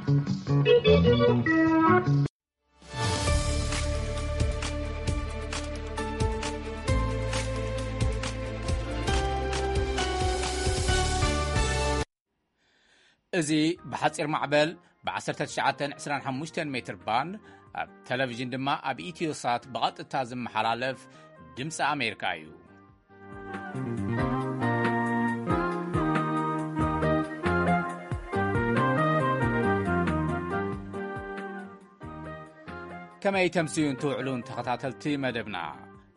እዚ ብሓጺር ማዕበል ብ19 25 ሜትር ባንድ፣ ኣብ ቴሌቪዥን ድማ ኣብ ኢትዮሳት ብቐጥታ ዝመሓላለፍ ድምፂ ኣሜሪካ እዩ። ከመይ ተምስዩን ትውዕሉን ተኸታተልቲ መደብና?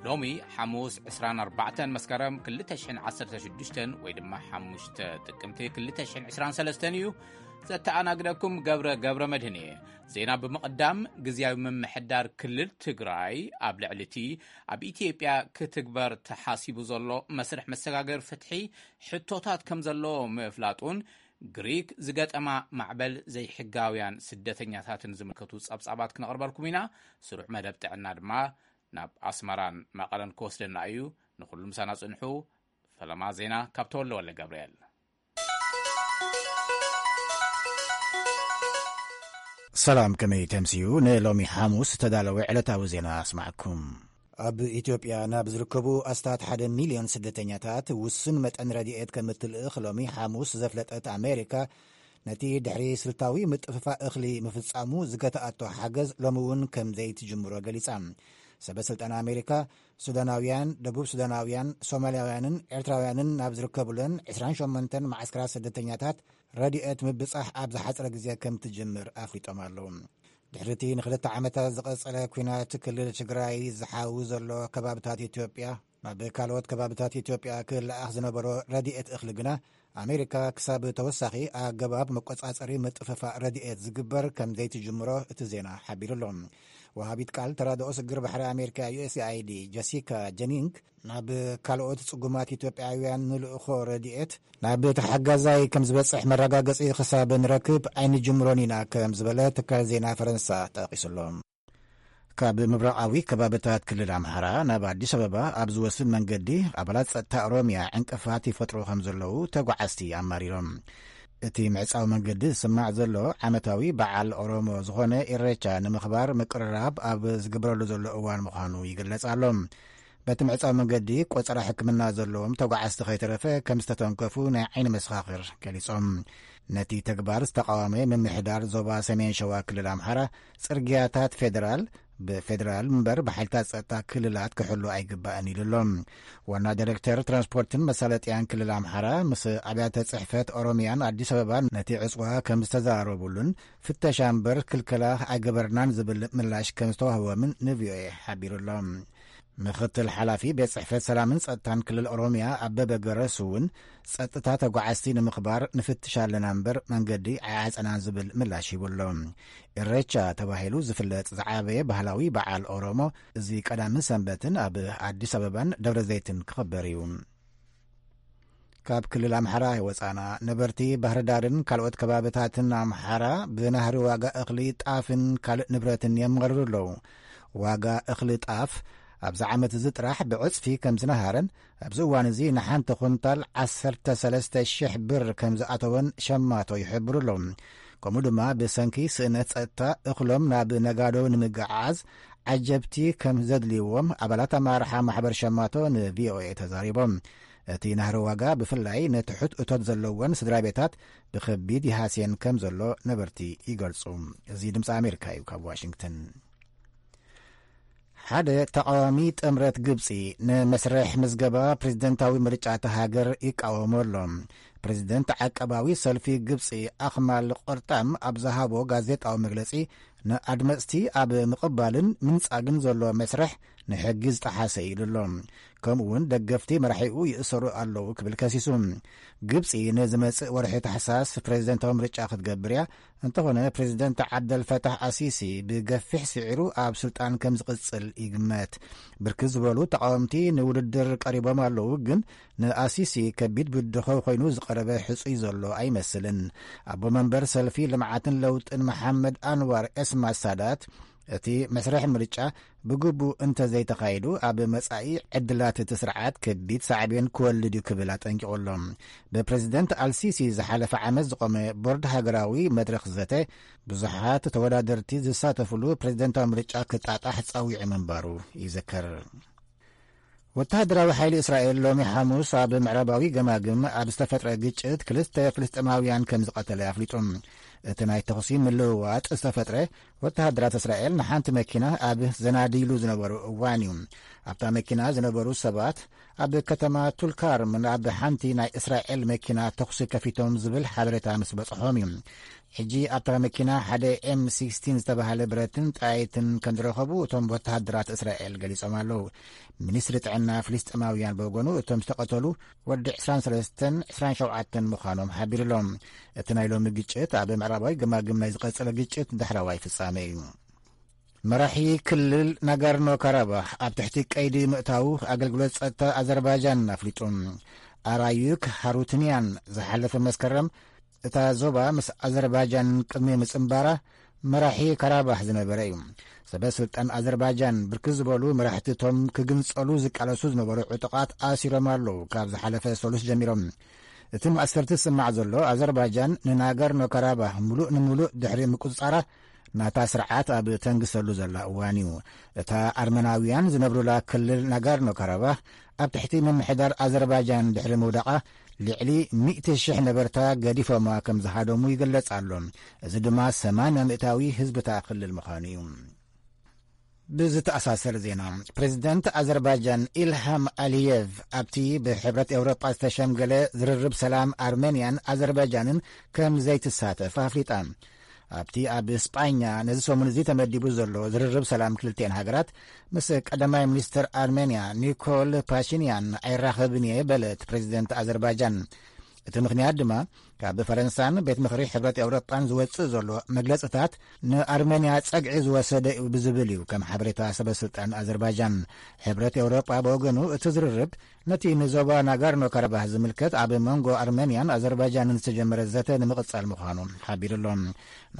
ሎሚ ሓሙስ 24 መስከረም 2016 ወይ ድማ 5 ጥቅምቲ 2023 እዩ። ዘተኣናግደኩም ገብረ ገብረ መድህን እየ። ዜና ብምቕዳም፣ ግዝያዊ ምምሕዳር ክልል ትግራይ ኣብ ልዕሊ እቲ ኣብ ኢትዮጵያ ክትግበር ተሓሲቡ ዘሎ መስርሕ መሰጋገር ፍትሒ ሕቶታት ከም ዘሎ ምፍላጡን፣ ግሪክ ዝገጠማ ማዕበል ዘይሕጋውያን ስደተኛታትን ዝምልከቱ ጸብጻባት ክነቕርበልኩም ኢና። ስሩዕ መደብ ጥዕና ድማ ናብ ኣስመራን መቐለን ክወስደና እዩ። ንኹሉ ምሳና ጽንሑ። ፈለማ ዜና ካብ ተወልደ ወልደ ገብርኤል። ሰላም፣ ከመይ ተምስዩ? ንሎሚ ሓሙስ ዝተዳለወ ዕለታዊ ዜና ኣስማዕኩም። ኣብ ኢትዮጵያ ናብ ዝርከቡ ኣስታት ሓደ ሚልዮን ስደተኛታት ውሱን መጠን ረድኤት ከም እትልእኽ ሎሚ ሓሙስ ዘፍለጠት ኣሜሪካ፣ ነቲ ድሕሪ ስልታዊ ምጥፍፋእ እኽሊ ምፍጻሙ ዝገትኣቶ ሓገዝ ሎሚ እውን ከም ዘይትጅምሮ ገሊጻ። ሰበ ስልጣን ኣሜሪካ፣ ሱዳናውያን፣ ደቡብ ሱዳናውያን፣ ሶማልያውያንን ኤርትራውያንን ናብ ዝርከቡለን 28 መዓስከራት ስደተኛታት ረድኤት ምብጻሕ ኣብ ዝሓጸረ ግዜ ከም ትጅምር ኣፍሊጦም ኣለዉ። ድሕሪ እቲ ንክልተ ዓመታት ዝቐጸለ ኲናት ክልል ትግራይ ዝሓዊ ዘሎ ከባብታት ኢትዮጵያ፣ ናብ ካልኦት ከባብታት ኢትዮጵያ ክለኣኽ ዝነበሮ ረድኤት እኽሊ ግና፣ ኣሜሪካ ክሳብ ተወሳኺ ኣገባብ መቆጻጸሪ ምጥፍፋእ ረድኤት ዝግበር ከም ዘይትጅምሮ እቲ ዜና ሓቢሩ ኣሎ። ወሃቢት ቃል ተራድኦ ስግር ባሕሪ ኣሜሪካ፣ ዩ ኤስ ኤ ኣይ ዲ፣ ጀሲካ ጀኒንግ፣ ናብ ካልኦት ጽጉማት ኢትዮጵያውያን ንልእኾ ረድኤት ናብ ተሓጋዛይ ከም ዝበጽሕ መረጋገጺ ክሳብ ንረክብ ኣይንጅምሮን ኢና ከም ዝበለ ትካል ዜና ፈረንሳ ጠቒሱ ኣሎ። ካብ ምብራቓዊ ከባብታት ክልል ኣምሓራ ናብ ኣዲስ ኣበባ ኣብ ዝወስድ መንገዲ ኣባላት ጸጥታ ኦሮምያ ዕንቅፋት ይፈጥሩ ከም ዘለዉ ተጓዓዝቲ ኣማሪሮም። እቲ ምዕጻው መንገዲ ዝስማዕ ዘሎ ዓመታዊ በዓል ኦሮሞ ዝኾነ ኢሬቻ ንምኽባር ምቅርራብ ኣብ ዝግበረሉ ዘሎ እዋን ምዃኑ ይግለጽ ኣሎ። በቲ ምዕጻው መንገዲ ቆጸራ ሕክምና ዘለዎም ተጓዓዝቲ ከይተረፈ ከም ዝተተንከፉ ናይ ዓይኒ መሰኻኽር ገሊጾም። ነቲ ተግባር ዝተቃወመ ምምሕዳር ዞባ ሰሜን ሸዋ ክልል ኣምሓራ፣ ጽርግያታት ፌደራል ብፌደራል እምበር ብሓይልታት ጸጥታ ክልላት ክሕሉ ኣይግባእን ኢሉ ኣሎ። ዋና ዳይሬክተር ትራንስፖርትን መሳለጥያን ክልል ኣምሓራ ምስ ኣብያተ ጽሕፈት ኦሮሚያን ኣዲስ ኣበባን ነቲ ዕጽዋ ከም ዝተዘራረቡሉን፣ ፍተሻ እምበር ክልከላ ኣይገበርናን ዝብል ምላሽ ከም ዝተዋህቦምን ንቪኦኤ ሓቢሩ ኣሎ። ምኽትል ሓላፊ ቤት ጽሕፈት ሰላምን ጸጥታን ክልል ኦሮሚያ ኣበበ ገረሱ እውን፣ ጸጥታ ተጓዓዝቲ ንምኽባር ንፍትሽ ኣለና እምበር መንገዲ ኣይዓጸናን ዝብል ምላሽ ሂቡ ኣሎ። ኢሬቻ ተባሂሉ ዝፍለጥ ዝዓበየ ባህላዊ በዓል ኦሮሞ፣ እዚ ቀዳምን ሰንበትን ኣብ ኣዲስ ኣበባን ደብረ ዘይትን ክኽበር እዩ። ካብ ክልል ኣምሓራ ይወጻና። ነበርቲ ባህርዳርን ካልኦት ከባብታትን ኣምሓራ ብናህሪ ዋጋ እኽሊ ጣፍን ካልእ ንብረትን የማርሩ ኣለዉ። ዋጋ እኽሊ ጣፍ ኣብዚ ዓመት እዚ ጥራሕ ብዕጽፊ ከም ዝነሃረን፣ ኣብዚ እዋን እዚ ንሓንቲ ኩንታል 13,000 ብር ከም ዝኣተወን ሸማቶ ይሕብሩ ኣለዉ። ከምኡ ድማ ብሰንኪ ስእነት ጸጥታ እኽሎም ናብ ነጋዶ ንምግዓዝ ዓጀብቲ ከም ዘድልይዎም ኣባላት ኣመራርሓ ማሕበር ሸማቶ ንቪኦኤ ተዛሪቦም። እቲ ናህሪ ዋጋ ብፍላይ ንትሑት እቶት ዘለወን ስድራ ቤታት ብኸቢድ ይሃስየን ከም ዘሎ ነበርቲ ይገልጹ። እዚ ድምፂ ኣሜሪካ እዩ ካብ ዋሽንግተን። ሓደ ተቃዋሚ ጥምረት ግብጺ ንመስርሕ ምዝገባ ፕሬዝደንታዊ ምርጫ እታ ሃገር ይቃወሞ ኣሎ። ፕሬዝደንት ዓቀባዊ ሰልፊ ግብጺ ኣኽማል ቆርጣም ኣብ ዝሃቦ ጋዜጣዊ መግለጺ፣ ንኣድመጽቲ ኣብ ምቕባልን ምንጻግን ዘሎ መስርሕ ንሕጊ ዝጠሓሰ ኢሉ ኣሎ። ከምኡ እውን ደገፍቲ መራሒኡ ይእሰሩ ኣለዉ ክብል ከሲሱ። ግብጺ ንዝመጽእ ወርሒ ታሕሳስ ፕሬዝደንታዊ ምርጫ ክትገብር እያ። እንተኾነ ፕሬዝደንት ዓብደል ፈታሕ ኣሲሲ ብገፊሕ ስዒሩ ኣብ ስልጣን ከም ዝቕጽል ይግመት። ብርክት ዝበሉ ተቃወምቲ ንውድድር ቀሪቦም ኣለዉ፣ ግን ንኣሲሲ ከቢድ ብድሆ ኮይኑ ዝቐረበ ሕጹይ ዘሎ ኣይመስልን። ኣቦ መንበር ሰልፊ ልምዓትን ለውጥን መሓመድ ኣንዋር ኤስማ ሳዳት እቲ መስርሕ ምርጫ ብግቡእ እንተዘይተኻይዱ፣ ኣብ መጻኢ ዕድላት እቲ ስርዓት ከቢድ ሳዕቤን ክወልድ እዩ ክብል ኣጠንቂቑ ኣሎ። ብፕረዚደንት ኣልሲሲ ዝሓለፈ ዓመት ዝቖመ ቦርድ ሃገራዊ መድረኽ ዘተ፣ ብዙሓት ተወዳደርቲ ዝሳተፍሉ ፕረዚደንታዊ ምርጫ ክጣጣሕ ጸዊዑ ምንባሩ ይዝከር። ወተሃደራዊ ሓይሊ እስራኤል ሎሚ ሓሙስ ኣብ ምዕራባዊ ገማግም ኣብ ዝተፈጥረ ግጭት ክልተ ፍልስጤማውያን ከም ዝቐተለ ኣፍሊጡ። እቲ ናይ ተኹሲ ምልውዋጥ ዝተፈጥረ፣ ወተሃደራት እስራኤል ንሓንቲ መኪና ኣብ ዘናድይሉ ዝነበሩ እዋን እዩ። ኣብታ መኪና ዝነበሩ ሰባት ኣብ ከተማ ቱልካርም ኣብ ሓንቲ ናይ እስራኤል መኪና ተኹሲ ከፊቶም ዝብል ሓበሬታ ምስ በጽሖም እዩ። ሕጂ ኣብታ መኪና ሓደ ኤም ሲክስቲን ዝተባህለ ብረትን ጣይትን ከም ዝረኸቡ እቶም ወተሃደራት እስራኤል ገሊጾም ኣለዉ። ሚኒስትሪ ጥዕና ፍልስጤማውያን ብወገኑ፣ እቶም ዝተቐተሉ ወዲ ዕስራን ሰለስተን ዕስራን ሸውዓተን ምዃኖም ሓቢሩ ኣሎ። እቲ ናይ ሎሚ ግጭት ኣብ ምዕራባዊ ገማግም ናይ ዝቐጸለ ግጭት ዳሕራዋይ ፍጻመ እዩ። መራሒ ክልል ናጋርኖ ካራባኽ ኣብ ትሕቲ ቀይዲ ምእታው ኣገልግሎት ጸጥታ ኣዘርባይጃን ኣፍሊጡ። ኣራዩክ ሃሩትንያን ዝሓለፈ መስከረም እታ ዞባ ምስ ኣዘርባይጃን ቅድሚ ምጽንባራ መራሒ ካራባኽ ዝነበረ እዩ። ሰበ ስልጣን ኣዘርባይጃን ብርክት ዝበሉ መራሕቲ እቶም ክግንጸሉ ዝቃለሱ ዝነበሩ ዕጡቓት ኣሲሮም ኣለዉ። ካብ ዝሓለፈ ሰሉስ ጀሚሮም እቲ ማእሰርቲ ዝስማዕ ዘሎ፣ ኣዘርባይጃን ንናጋርኖ ካራባኽ ምሉእ ንምሉእ ድሕሪ ምቁጽጻራ ናታ ስርዓት ኣብ ተንግሰሉ ዘላ እዋን እዩ። እታ ኣርመናውያን ዝነብሩላ ክልል ናጋርኖ ካራባኽ ኣብ ትሕቲ ምምሕዳር ኣዘርባይጃን ድሕሪ ምውዳቓ፣ ልዕሊ ሚእቲ ሽሕ ነበርታ ገዲፎማ ከም ዝሃደሙ ይግለጽ ኣሎ። እዚ ድማ ሰማንያ ሚእታዊ ህዝቢ እታ ክልል ምዃኑ እዩ። ብዝተኣሳሰር ዜና፣ ፕሬዚደንት ኣዘርባይጃን ኢልሃም ኣሊየቭ ኣብቲ ብሕብረት ኤውሮጳ ዝተሸምገለ ዝርርብ ሰላም ኣርሜንያን ኣዘርባይጃንን ከም ዘይትሳተፍ ኣፍሊጣ። ኣብቲ ኣብ ስጳኛ ነዚ ሰሙን እዚ ተመዲቡ ዘሎ ዝርርብ ሰላም ክልቲኤን ሃገራት፣ ምስ ቀዳማይ ሚኒስትር ኣርሜንያ ኒኮል ፓሽንያን ኣይራኸብን እየ በለት ፕሬዚደንት ኣዘርባይጃን። እቲ ምኽንያት ድማ፣ ካብ ፈረንሳን ቤት ምኽሪ ሕብረት ኤውሮጳን ዝወጽእ ዘሎ መግለጽታት ንኣርሜንያ ጸግዒ ዝወሰደ እዩ ብዝብል እዩ፣ ከም ሓበሬታ ሰበ ስልጣን ኣዘርባይጃን። ሕብረት ኤውሮጳ ብወገኑ፣ እቲ ዝርርብ ነቲ ንዞባ ናጋርኖ ካራባህ ዝምልከት ኣብ መንጎ ኣርሜንያን ኣዘርባይጃንን ዝተጀመረ ዘተ ንምቕጻል ምዃኑ ሓቢሩ ኣሎ።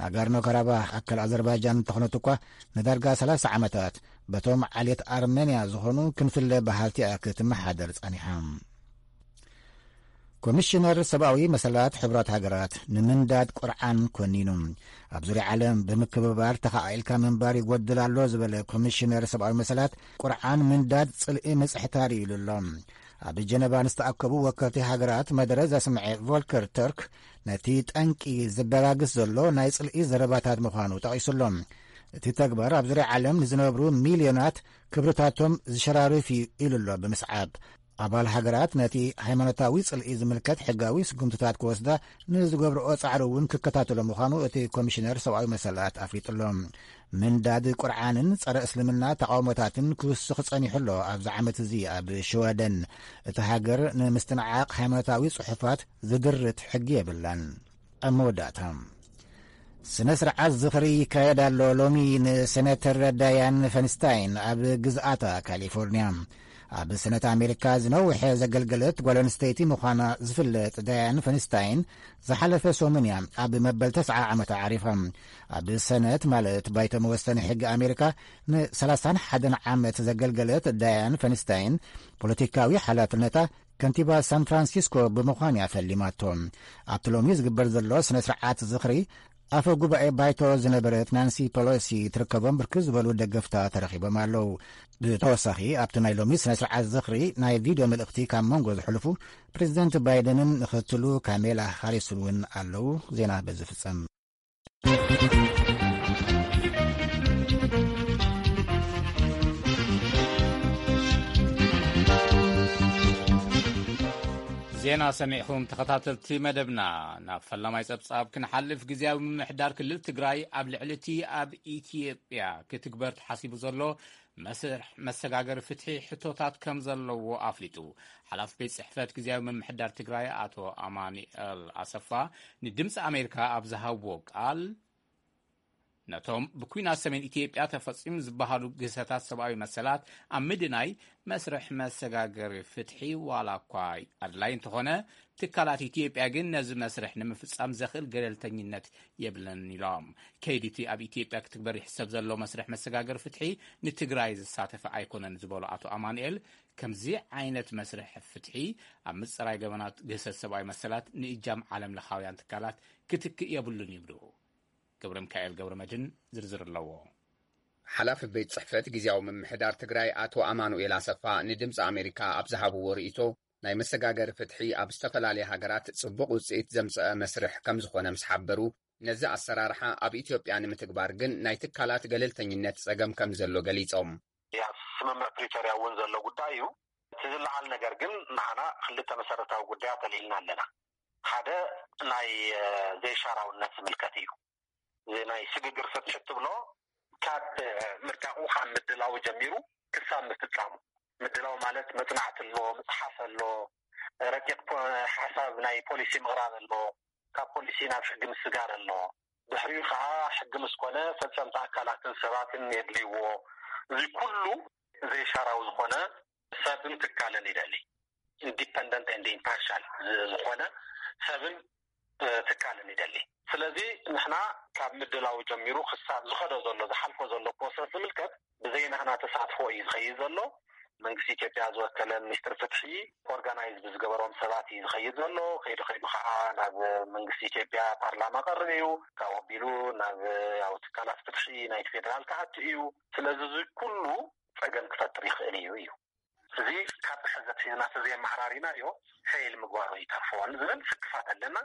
ናጋርኖ ካራባህ ኣካል ኣዘርባይጃን እንተኾነት እኳ፣ ንዳርጋ ሰላሳ ዓመታት በቶም ዓሌት ኣርሜንያ ዝኾኑ ክንፍለ በሃልቲ እያ ክትመሓደር ጸኒሓ። ኮሚሽነር ሰብኣዊ መሰላት ሕቡራት ሃገራት ንምንዳድ ቁርዓን ኮኒኑ። ኣብ ዙርያ ዓለም ብምክብባር ተኻኢልካ ምንባር ይጎድል ኣሎ ዝበለ ኮሚሽነር ሰብኣዊ መሰላት፣ ቁርዓን ምንዳድ ጽልኢ ምጽሕታር እዩ ኢሉ ኣሎ። ኣብ ጀነቫ ንዝተኣከቡ ወከልቲ ሃገራት መደረ ዘስምዐ ቮልከር ተርክ፣ ነቲ ጠንቂ ዘበጋግስ ዘሎ ናይ ጽልኢ ዘረባታት ምዃኑ ጠቒሱ ኣሎ። እቲ ተግባር ኣብ ዙርያ ዓለም ንዝነብሩ ሚልዮናት ክብርታቶም ዝሸራርፍ እዩ ኢሉ ኣሎ ብምስዓብ። ኣባል ሃገራት ነቲ ሃይማኖታዊ ጽልኢ ዝምልከት ሕጋዊ ስጉምትታት ክወስዳ ንዝገብርኦ ጻዕሪ እውን ክከታተሎ ምዃኑ እቲ ኮሚሽነር ሰብኣዊ መሰላት ኣፍሊጡ ኣሎ። ምንዳድ ቁርዓንን ጸረ እስልምና ተቓውሞታትን ክውስኽ ጸኒሑ ኣሎ። ኣብዚ ዓመት እዚ ኣብ ሽወደን፣ እቲ ሃገር ንምስትንዓቕ ሃይማኖታዊ ጽሑፋት ዝድርት ሕጊ የብላን። ኣብ መወዳእታ፣ ስነ ስርዓት ዝኽሪ ይካየድ ኣሎ ሎሚ ንሴኔተር ዳያን ፈንስታይን ኣብ ግዝኣታ ካሊፎርኒያ። ኣብ ሰነት ኣሜሪካ ዝነውሐ ዘገልገለት ጓል ኣንስተይቲ ምዃና ዝፍለጥ ዳያን ፈንስታይን፣ ዝሓለፈ ሰሙን እያ ኣብ መበል ተስዓ ዓመታ ዓሪፋ። ኣብ ሰነት፣ ማለት ባይቶ መወሰኒ ሕጊ ኣሜሪካ፣ ን ሰላሳን ሓደን ዓመት ዘገልገለት ዳያን ፈንስታይን፣ ፖለቲካዊ ሓላፍነታ ከንቲባ ሳን ፍራንሲስኮ ብምዃን እያ ፈሊማቶ። ኣብቲ ሎሚ ዝግበር ዘሎ ስነ ስርዓት ዝኽሪ፣ ኣፈ ጉባኤ ባይቶ ዝነበረት ናንሲ ፐሎሲ ትርከቦም ብርክት ዝበሉ ደገፍታ ተረኺቦም ኣለዉ። ብተወሳኺ፣ ኣብቲ ናይ ሎሚ ስነ ስርዓት ዝኽሪ ናይ ቪድዮ መልእኽቲ ካብ መንጎ ዝሕልፉ ፕሬዚደንት ባይደንን ምኽትሉ ካሜላ ሃሪስን እውን ኣለዉ። ዜና በዚ ፍጸም። ዜና ሰሚዕኹም ተኸታተልቲ መደብና። ናብ ፈላማይ ጸብጻብ ክንሓልፍ፣ ግዝያዊ ምምሕዳር ክልል ትግራይ ኣብ ልዕሊ እቲ ኣብ ኢትዮጵያ ክትግበር ተሓሲቡ ዘሎ መስርሕ መሰጋገሪ ፍትሒ ሕቶታት ከም ዘለዎ ኣፍሊጡ። ሓላፊ ቤት ጽሕፈት ግዝያዊ ምምሕዳር ትግራይ ኣቶ ኣማኑኤል ኣሰፋ ንድምፂ ኣሜሪካ ኣብ ዝሃብዎ ቃል፣ ነቶም ብኲናት ሰሜን ኢትዮጵያ ተፈጺሙ ዝበሃሉ ግህሰታት ሰብኣዊ መሰላት ኣብ ምድናይ መስርሕ መሰጋገሪ ፍትሒ ዋላ እኳ ኣድላይ እንተኾነ፣ ትካላት ኢትዮጵያ ግን ነዚ መስርሕ ንምፍጻም ዘኽእል ገለልተኝነት የብለን ኢሎም። ከይዲ እቲ ኣብ ኢትዮጵያ ክትግበር ይሕሰብ ዘሎ መስርሕ መሰጋገሪ ፍትሒ ንትግራይ ዝሳተፈ ኣይኮነን ዝበሉ ኣቶ ኣማኑኤል፣ ከምዚ ዓይነት መስርሕ ፍትሒ ኣብ ምጽራይ ገበናት ግህሰት ሰብኣዊ መሰላት ንእጃም ዓለም ለኻውያን ትካላት ክትክእ የብሉን ይብሉ። ገብረ ሚካኤል ገብረ መድህን ዝርዝር ኣለዎ። ሓላፊ ቤት ጽሕፈት ግዝያዊ ምምሕዳር ትግራይ ኣቶ ኣማኑኤል ኣሰፋ ንድምፂ ኣሜሪካ ኣብ ዝሃብዎ ርእይቶ፣ ናይ መሰጋገሪ ፍትሒ ኣብ ዝተፈላለያ ሃገራት ጽቡቕ ውጽኢት ዘምጸአ መስርሕ ከም ዝኾነ ምስ ሓበሩ፣ ነዚ ኣሰራርሓ ኣብ ኢትዮጵያ ንምትግባር ግን ናይ ትካላት ገለልተኝነት ጸገም ከም ዘሎ ገሊጾም። ኣብ ስምምዕ ፕሪቶርያ እውን ዘሎ ጉዳይ እዩ። እቲ ዝለዓል ነገር ግን ንዓና ክልተ መሰረታዊ ጉዳያት ኣልዒልና ኣለና። ሓደ ናይ ዘይሻራውነት ዝምልከት እዩ። እዚ ናይ ስግግር ፍትሒ እትብሎ ካብ ምርቃቑ ካብ ምድላው ጀሚሩ ክሳብ ምፍጻሙ፣ ምድላው ማለት መጽናዕቲ ኣሎ፣ ምጽሓፍ ኣሎ፣ ረቂቕ ሓሳብ ናይ ፖሊሲ ምቕራብ ኣሎ፣ ካብ ፖሊሲ ናብ ሕጊ ምስጋር ኣሎ። ድሕሪኡ ከዓ ሕጊ ምስ ኮነ ፈጸምቲ ኣካላትን ሰባትን የድልይዎ። እዚ ኩሉ ዘይሻራዊ ዝኾነ ሰብን ትካልን ይደሊ። ኢንዲፐንደንት ኤንድ ኢምፓርሻል ዝኾነ ሰብን ትካልን ይደሊ። ስለዚ ንሕና ካብ ምድላው ጀሚሩ ክሳብ ዝኸዶ ዘሎ ዝሓልፎ ዘሎ ፕሮሰስ ዝምልከት ብዘይ ናህና ተሳትፎ እዩ ዝኸይድ ዘሎ። መንግስቲ ኢትዮጵያ ዝወከለ ሚኒስትር ፍትሒ ኦርጋናይዝ ብዝገበሮም ሰባት እዩ ዝኸይድ ዘሎ። ከይዱ ከይዱ ከዓ ናብ መንግስቲ ኢትዮጵያ ፓርላማ ቀርብ እዩ። ካብ ኣቢሉ ናብ ያው ትካላት ፍትሒ ናይቲ ፌዴራል ክኣቱ እዩ። ስለዚ እዚ ኩሉ ጸገም ክፈጥር ይኽእል እዩ እዩ እዚ ካብ ሕዘት ሒዝና ተዘየመሓራሪና እዮ ፌል ምግባሩ ይተርፎ ዝብል ስክፋት ኣለና።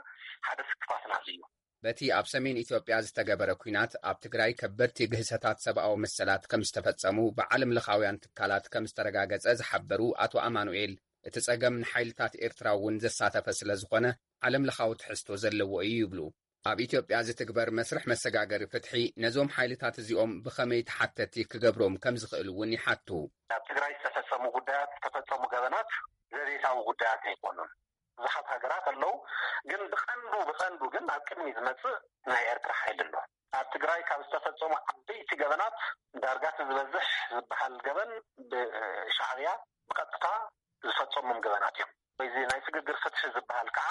ሓደ ስክፋትና እዚ እዩ። በቲ ኣብ ሰሜን ኢትዮጵያ ዝተገበረ ኲናት ኣብ ትግራይ ከበድቲ ግህሰታት ሰብኣዊ መሰላት ከም ዝተፈጸሙ ብዓለም ለኻውያን ትካላት ከም ዝተረጋገጸ ዝሓበሩ ኣቶ ኣማኑኤል፣ እቲ ጸገም ንሓይልታት ኤርትራ እውን ዘሳተፈ ስለ ዝኾነ ዓለም ለኻዊ ትሕዝቶ ዘለዎ እዩ ይብሉ። ኣብ ኢትዮጵያ ዝትግበር መስርሕ መሰጋገሪ ፍትሒ ነዞም ሓይልታት እዚኦም ብኸመይ ተሓተቲ ክገብሮም ከም ዝኽእል እውን ይሓቱ። ኣብ ትግራይ ዝተፈጸሙ ጉዳያት ዝተፈጸሙ ገበናት ዘቤታዊ ጉዳያት ኣይኮኑን። ብዙሓት ሃገራት ኣለዉ፣ ግን ብቐንዱ ብቐንዱ ግን ኣብ ቅድሚ ዝመጽእ ናይ ኤርትራ ሓይሊ ኣሎ። ኣብ ትግራይ ካብ ዝተፈጸሙ ዓበይቲ ገበናት ዳርጋ እቲ ዝበዝሕ ዝበሃል ገበን ብሻዕብያ ብቐጥታ ዝፈጸሞም ገበናት እዮም። እዚ ናይ ስግግር ፍትሒ ዝበሃል ከዓ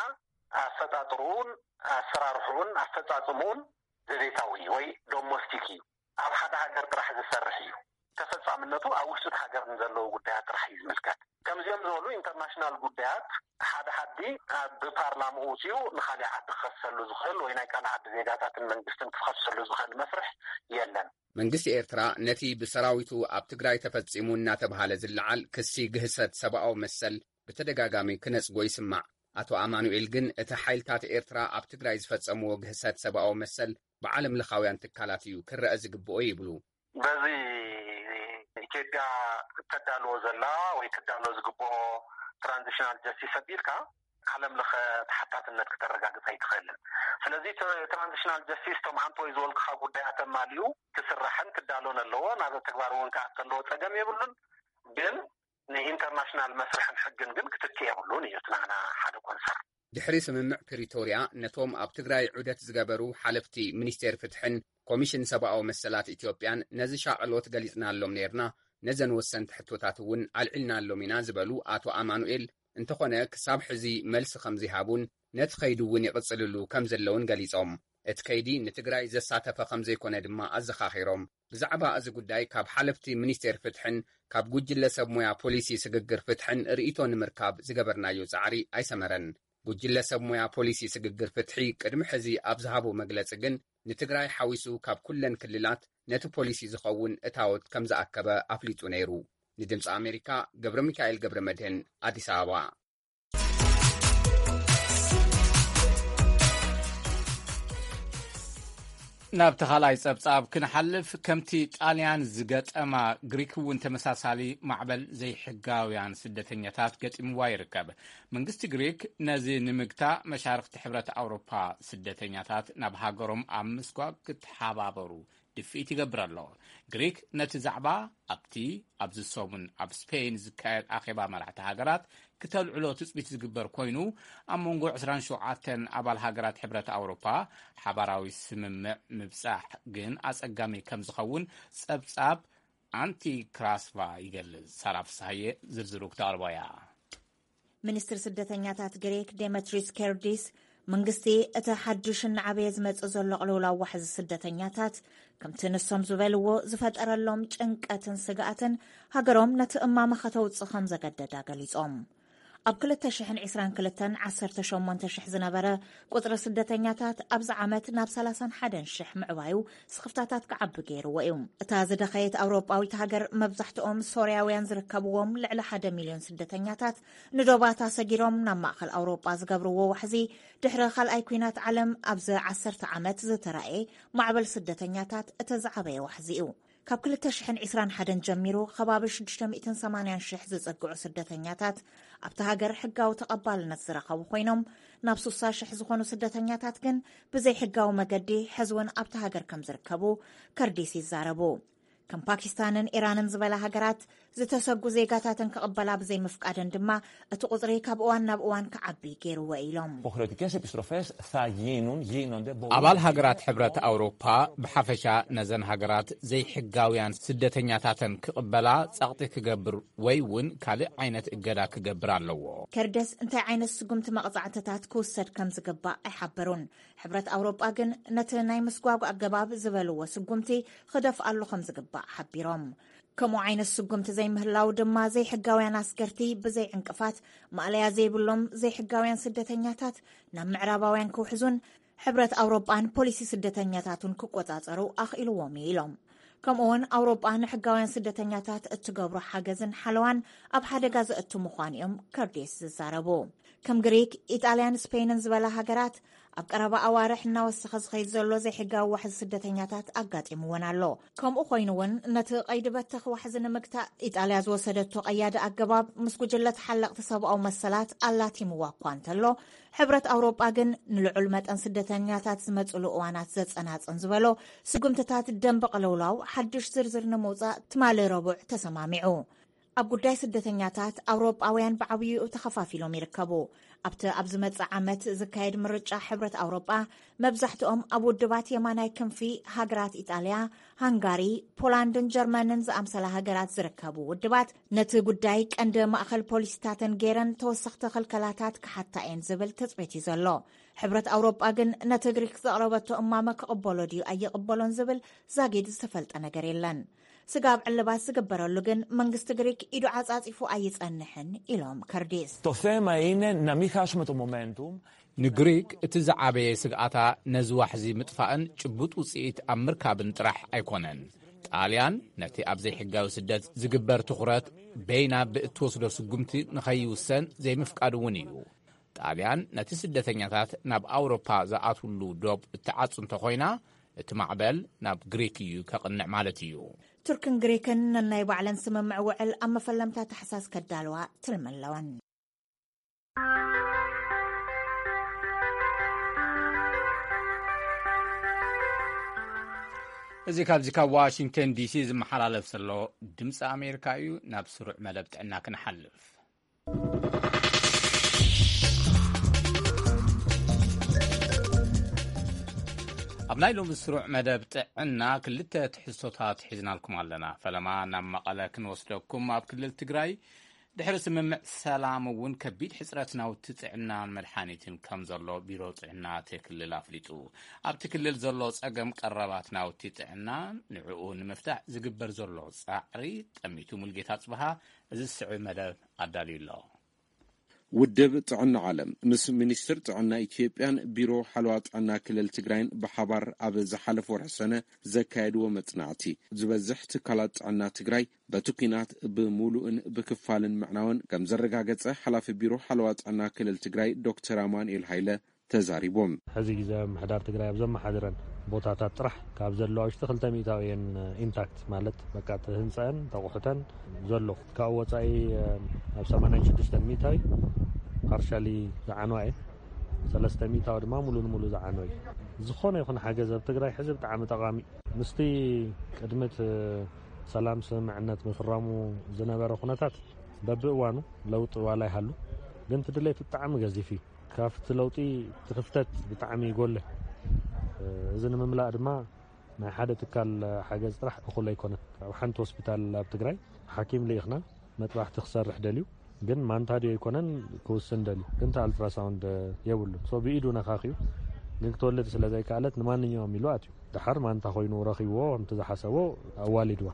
ኣፈጣጥርኡን ኣሰራርሕኡን ኣፈጻጽምኡን ዘቤታዊ እዩ ወይ ዶሞስቲክ እዩ። ኣብ ሓደ ሃገር ጥራሕ ዝሰርሕ እዩ። ተፈጻምነቱ ኣብ ውሽጢ እቲ ሃገር ንዘለዉ ጉዳያት ጥራሕ እዩ ዝምልከት። ከምዚኦም ዝበሉ ኢንተርናሽናል ጉዳያት ሓደ ዓዲ ኣብ ብፓርላምኡ ወፂኡ ንካሊእ ዓዲ ክኸሰሉ ዝኽእል ወይ ናይ ካልእ ዓዲ ዜጋታትን መንግስትን ክኸሰሉ ዝኽእል መስርሕ የለን። መንግስቲ ኤርትራ ነቲ ብሰራዊቱ ኣብ ትግራይ ተፈጺሙ እናተብሃለ ዝለዓል ክሲ ግህሰት ሰብኣዊ መሰል ብተደጋጋሚ ክነጽጎ ይስማዕ። ኣቶ ኣማኑኤል ግን እቲ ሓይልታት ኤርትራ ኣብ ትግራይ ዝፈጸምዎ ግህሰት ሰብኣዊ መሰል ብዓለም ለኻውያን ትካላት እዩ ክረአ ዝግብኦ ይብሉ። በዚ ኢትዮጵያ እተዳልዎ ዘላ ወይ ክዳሎ ዝግብኦ ትራንዚሽናል ጀስቲስ ኣቢልካ ዓለም ለኸ ተሓታትነት ክተረጋግፅ ኣይትኽእልን። ስለዚ ትራንዚሽናል ጀስቲስ እቶም ዓንተወይ ዝበልኩኻ ጉዳያት ኣማሊኡ ክስራሕን ክዳሎን ኣለዎ። ናብ ተግባር እውን ክኣቱ ኣለዎ፣ ፀገም የብሉን። ግን ንኢንተርናሽናል መስርሕን ሕግን ግን ክትክ የብሉን እዩ እቲ ናህና ሓደ ኮንሰርን። ድሕሪ ስምምዕ ፕሪቶርያ ነቶም ኣብ ትግራይ ዑደት ዝገበሩ ሓለፍቲ ሚኒስቴር ፍትሕን ኮሚሽን ሰብኣዊ መሰላት ኢትዮጵያን ነዚ ሻቕሎት ገሊጽናሎም ነይርና፣ ነዘን ወሰንቲ ሕቶታት እውን ኣልዒልናሎም ኢና ዝበሉ ኣቶ ኣማኑኤል፣ እንተኾነ ክሳብ ሕዚ መልሲ ከም ዘይሃቡን ነቲ ከይዲ እውን ይቕጽልሉ ከም ዘለውን ገሊጾም። እቲ ከይዲ ንትግራይ ዘሳተፈ ከም ዘይኮነ ድማ ኣዘኻኺሮም። ብዛዕባ እዚ ጉዳይ ካብ ሓለፍቲ ሚኒስቴር ፍትሕን ካብ ጉጅለ ሰብ ሞያ ፖሊሲ ስግግር ፍትሕን ርእይቶ ንምርካብ ዝገበርናዮ ጻዕሪ ኣይሰመረን። ጉጅለ ሰብ ሞያ ፖሊሲ ስግግር ፍትሒ ቅድሚ ሕዚ ኣብ ዝሃቦ መግለጺ ግን ንትግራይ ሓዊሱ ካብ ኩለን ክልላት ነቲ ፖሊሲ ዝኸውን እታወት ከም ዝኣከበ ኣፍሊጡ ነይሩ። ንድምፂ ኣሜሪካ ገብረ ሚካኤል ገብረ መድህን ኣዲስ ኣበባ። ናብ ተኻላይ ጸብጻብ ክንሓልፍ፣ ከምቲ ጣልያን ዝገጠማ ግሪክ እውን ተመሳሳሊ ማዕበል ዘይሕጋውያን ስደተኛታት ገጢምዋ ይርከብ። መንግስቲ ግሪክ ነዚ ንምግታ መሻርኽቲ ሕብረት ኣውሮፓ ስደተኛታት ናብ ሃገሮም ኣብ ምስጓግ ክትሓባበሩ ድፍኢት ይገብር ኣሎ። ግሪክ ነቲ ዛዕባ ኣብቲ ኣብዚ ሰሙን ኣብ ስፔን ዝካየድ ኣኼባ መራሕቲ ሃገራት ክተልዕሎ ትጽቢት ዝግበር ኮይኑ፣ ኣብ መንጎ ዕስራን ሸውዓተን ኣባል ሃገራት ሕብረት ኣውሮፓ ሓባራዊ ስምምዕ ምብጻሕ ግን ኣጸጋሚ ከም ዝኸውን ጸብጻብ ኣንቲ ክራስቫ ይገልጽ። ሳራ ፍስሃየ ዝርዝሩ ክተቕርቦ እያ። ሚኒስትር ስደተኛታት ግሪክ ዴሜትሪስ ኬርዲስ፣ መንግስቲ እቲ ሓዱሽ እናዓበየ ዝመጽእ ዘሎ ቅልውላው ዋሕዚ ስደተኛታት ከምቲ ንሶም ዝበልዎ ዝፈጠረሎም ጭንቀትን ስግኣትን ሃገሮም ነቲ እማመ ከተውጽእ ከም ዘገደዳ ገሊጾም። ኣብ ክልተ ሽሕን ዕስራን ክልተን ዓሰርተ ሸሞንተ ሽሕ ዝነበረ ቁጽሪ ስደተኛታት ኣብዚ ዓመት ናብ ሰላሳን ሓደን ሽሕ ምዕባዩ ስኽፍታታት ክዓቢ ገይርዎ እዩ። እታ ዝደኸየት ኣውሮጳዊት ሃገር መብዛሕትኦም ሶርያውያን ዝርከብዎም ልዕሊ ሓደ ሚልዮን ስደተኛታት ንዶባታ ሰጊሮም ናብ ማእኸል ኣውሮጳ ዝገብርዎ ዋሕዚ ድሕሪ ካልኣይ ኲናት ዓለም ኣብዚ ዓሰርተ ዓመት ዝተራእየ ማዕበል ስደተኛታት እቲ ዝዓበየ ዋሕዚ እዩ። ካብ ክልተ ሽሕን ዕስራን ሓደን ጀሚሩ ከባቢ ሽዱሽተ ሚእትን ሰማንያን ሽሕ ዝጸግዑ ስደተኛታት ኣብቲ ሃገር ሕጋዊ ተቐባልነት ዝረኸቡ ኮይኖም ናብ ሱሳ ሽሕ ዝኾኑ ስደተኛታት ግን ብዘይ ሕጋዊ መገዲ ሕዚ እውን ኣብቲ ሃገር ከም ዝርከቡ ከርዲስ ይዛረቡ። ከም ፓኪስታንን ኢራንን ዝበላ ሃገራት ዝተሰጉ ዜጋታተን ክቕበላ ብዘይ ምፍቃደን ድማ እቲ ቁፅሪ ካብ እዋን ናብ እዋን ክዓቢ ገይርዎ ኢሎም። Υποχρεωτικέ επιστροφέ θα γίνουν, γίνονται, μπορούν ኣባል να ሃገራት γίνουν. ሕብረት ኣውሮፓ ብሓፈሻ ነዘን ሃገራት ዘይሕጋውያን ስደተኛታተን ክቕበላ ጸቕጢ ክገብር ወይ እውን ካልእ ዓይነት እገዳ ክገብር ኣለዎ። ከርደስ እንታይ ዓይነት ስጉምቲ መቕጻዕትታት ክውሰድ ከም ዝግባእ ኣይሓበሩን። ሕብረት ኣውሮጳ ግን ነቲ ናይ ምስጓጓ ኣገባብ ዝበልዎ ስጉምቲ ክደፍኣሉ ከም ዝግባእ ሓቢሮም። ከምኡ ዓይነት ስጉምቲ ዘይምህላው ድማ ዘይሕጋውያን ኣስገርቲ ብዘይ ዕንቅፋት ማእለያ ዘይብሎም ዘይሕጋውያን ስደተኛታት ናብ ምዕራባውያን ክውሕዙን ሕብረት ኣውሮጳን ፖሊሲ ስደተኛታቱን ክቆጻጸሩ ኣኽኢልዎም እዩ ኢሎም። ከምኡውን ኣውሮጳ ንሕጋውያን ስደተኛታት እትገብሮ ሓገዝን ሓለዋን ኣብ ሓደጋ ዘእቱ ምዃኑ እዮም ከርዴስ ዝዛረቡ። ከም ግሪክ፣ ኢጣልያን ስፔንን ዝበላ ሃገራት ኣብ ቀረባ ኣዋርሕ እናወሰኸ ዝኸይድ ዘሎ ዘይሕጋዊ ዋሕዚ ስደተኛታት ኣጋጢምወን ኣሎ። ከምኡ ኮይኑ እውን ነቲ ቀይዲ በተኽ ዋሕዚ ንምግታእ ኢጣልያ ዝወሰደቶ ቀያዲ ኣገባብ ምስ ጉጅለ ተሓለቕቲ ሰብኣዊ መሰላት ኣላቲምዋ እኳ እንተሎ፣ ሕብረት ኣውሮጳ ግን ንልዑል መጠን ስደተኛታት ዝመፅሉ እዋናት ዘፀናፅን ዝበሎ ስጉምትታት ደንበ ቅልውላው ሓዱሽ ዝርዝር ንምውፃእ ትማሊ ረቡዕ ተሰማሚዑ። ኣብ ጉዳይ ስደተኛታት ኣውሮጳውያን ብዓብይኡ ተኸፋፊሎም ይርከቡ። ኣብቲ ኣብ ዝመጽእ ዓመት ዝካየድ ምርጫ ሕብረት ኣውሮጳ መብዛሕትኦም ኣብ ውድባት የማናይ ክንፊ ሃገራት ኢጣልያ፣ ሃንጋሪ፣ ፖላንድን ጀርመንን ዝኣምሰላ ሃገራት ዝርከቡ ውድባት ነቲ ጉዳይ ቀንዲ ማእኸል ፖሊሲታተን ገይረን ተወሰኽቲ ክልከላታት ክሓታ እየን ዝብል ትጽቢት እዩ ዘሎ። ሕብረት ኣውሮጳ ግን ነቲ ግሪክ ዘቕረበቶ እማመ ክቕበሎ ድዩ ኣይቕበሎን ዝብል ዛጊድ ዝተፈልጠ ነገር የለን። ስጋብ ዕልባት ዝግበረሉ ግን መንግስቲ ግሪክ ኢዱ ዓጻጺፉ ኣይጸንሕን ኢሎም ከርዲስ። Το θέμα είναι να μην χάσουμε το momentum. ንግሪክ እቲ ዝዓበየ ስግኣታ ነዚ ዋሕዚ ምጥፋእን ጭቡጥ ውጽኢት ኣብ ምርካብን ጥራሕ ኣይኮነን። ጣልያን ነቲ ኣብ ዘይሕጋዊ ስደት ዝግበር ትኹረት በይና ብእትወስዶ ስጉምቲ ንኸይውሰን ዘይምፍቃድ እውን እዩ። ጣልያን ነቲ ስደተኛታት ናብ ኣውሮፓ ዝኣትውሉ ዶብ እትዓጹ እንተኾይና፣ እቲ ማዕበል ናብ ግሪክ እዩ ከቕንዕ ማለት እዩ። ቱርክን ግሪክን ነናይ ባዕለን ስምምዕ ውዕል ኣብ መፈለምታ ታሕሳስ ከዳልዋ ትልሚ ኣለወን። እዚ ካብዚ ካብ ዋሽንግተን ዲሲ ዝመሓላለፍ ዘሎ ድምፂ ኣሜሪካ እዩ። ናብ ስሩዕ መደብ ጥዕና ክንሓልፍ። ኣብ ናይ ሎሚ ስሩዕ መደብ ጥዕና ክልተ ትሕዝቶታት ሒዝናልኩም ኣለና። ፈለማ ናብ መቐለ ክንወስደኩም። ኣብ ክልል ትግራይ ድሕሪ ስምምዕ ሰላም እውን ከቢድ ሕፅረት ናውቲ ጥዕናን መድሓኒትን ከም ዘሎ ቢሮ ጥዕና እቲ ክልል ኣፍሊጡ። ኣብቲ ክልል ዘሎ ፀገም ቀረባት ናውቲ ጥዕና ንዕኡ ንምፍታሕ ዝግበር ዘሎ ፃዕሪ ጠሚቱ። ሙልጌታ ፅብሃ እዚ ዝስዕብ መደብ ኣዳልዩ ኣሎ። ውድብ ጥዕና ዓለም ምስ ሚኒስትር ጥዕና ኢትዮጵያን ቢሮ ሓለዋ ጥዕና ክልል ትግራይን ብሓባር ኣብ ዝሓለፈ ወርሒ ሰነ ዘካየድዎ መጽናዕቲ፣ ዝበዝሕ ትካላት ጥዕና ትግራይ በቲ ኲናት ብሙሉእን ብክፋልን ምዕናወን ከም ዘረጋገጸ ሓላፊ ቢሮ ሓለዋ ጥዕና ክልል ትግራይ ዶክተር ኣማኑኤል ሃይለ ተዛሪቦም። ሕዚ ግዜ ምሕዳር ትግራይ ኣብ ዘመሓድረን ቦታታት ጥራሕ ካብ ዘለዋ ውሽጢ ክልተ ሚእታዊ እየን ኢንታክት፣ ማለት በቃ እቲ ህንፀአን ተቑሑተን ዘሎ። ካብኡ ወፃኢ ኣብ ሰማንያን ሽዱሽተን ሚእታዊ ፓርሻሊ ዝዓነዋ እየን። ሰለስተ ሚእታዊ ድማ ሙሉ ንሙሉ ዝዓነው እዩ። ዝኾነ ይኹን ሓገዝ ኣብ ትግራይ ሕዚ ብጣዕሚ ጠቓሚ እዩ። ምስቲ ቅድሚ እቲ ሰላም ስምምዕነት ምፍራሙ ዝነበረ ኩነታት በብእዋኑ ለውጢ ዋላ ይሃሉ፣ ግን እቲ ድሌት ብጣዕሚ ገዚፍ እዩ። ካብቲ ለውጢ እቲ ክፍተት ብጣዕሚ ይጎልሕ። እዚ ንምምላእ ድማ ናይ ሓደ ትካል ሓገዝ ጥራሕ እኹል ኣይኮነን። ኣብ ሓንቲ ሆስፒታል ኣብ ትግራይ ሓኪም ልኢኽና፣ መጥባሕቲ ክሰርሕ ደልዩ፣ ግን ማንታ ድዩ ኣይኮነን ክውስን ደልዩ፣ ግን እቲ ኣልትራሳውንድ የብሉን። ሶ ብኢዱ ነኻኺዩ፣ ግን ክትወልድ ስለ ዘይከኣለት ንማንኛውም ኢሉ ኣትዩ። ደሓር ማንታ ኮይኑ ረኺብዎ፣ ከምቲ ዝሓሰቦ ኣዋሊድዋ።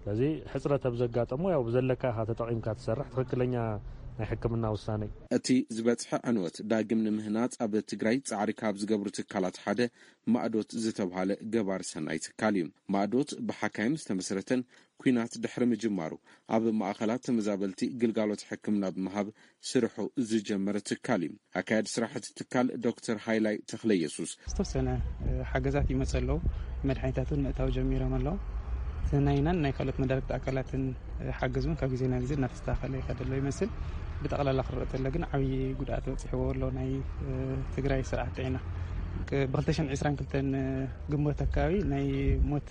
ስለዚ ሕፅረት ኣብ ዘጋጠሞ፣ ያው ብዘለካ ኢኻ ተጠቒምካ ትሰርሕ፣ ትኽክለኛ ናይ ሕክምና ውሳነ እዩ። እቲ ዝበፅሐ ዕንወት ዳግም ንምህናፅ ኣብ ትግራይ ፃዕሪ ካብ ዝገብሩ ትካላት ሓደ ማእዶት ዝተብሃለ ገባር ሰናይ ትካል እዩ። ማእዶት ብሓካይም ዝተመስረተን ኲናት ድሕሪ ምጅማሩ ኣብ ማእኸላት ተመዛበልቲ ግልጋሎት ሕክምና ብምሃብ ስርሑ ዝጀመረ ትካል እዩ። ኣካያዲ ስራሕ እቲ ትካል ዶክተር ሃይላይ ተኽለ ኢየሱስ ዝተወሰነ ሓገዛት ይመፅ ኣለዉ። መድሓኒታት እውን ምእታው ጀሚሮም ኣለዉ። እቲ ናይናን ናይ ካልኦት መዳርግቲ ኣካላትን ሓገዝ እውን ካብ ግዜ ናብ ግዜ እናተስተኻኸለ ይኸደ ኣሎ ይመስል። ብጠቕላላ ክረአ ተሎ ግን ዓብዪ ጉድኣት በፂሕዎ ኣሎ ናይ ትግራይ ስርዓት ጥዕና። ብክልተ ሽሕን ዕስራን ክልተን ግንቦት ኣካባቢ ናይ ሞት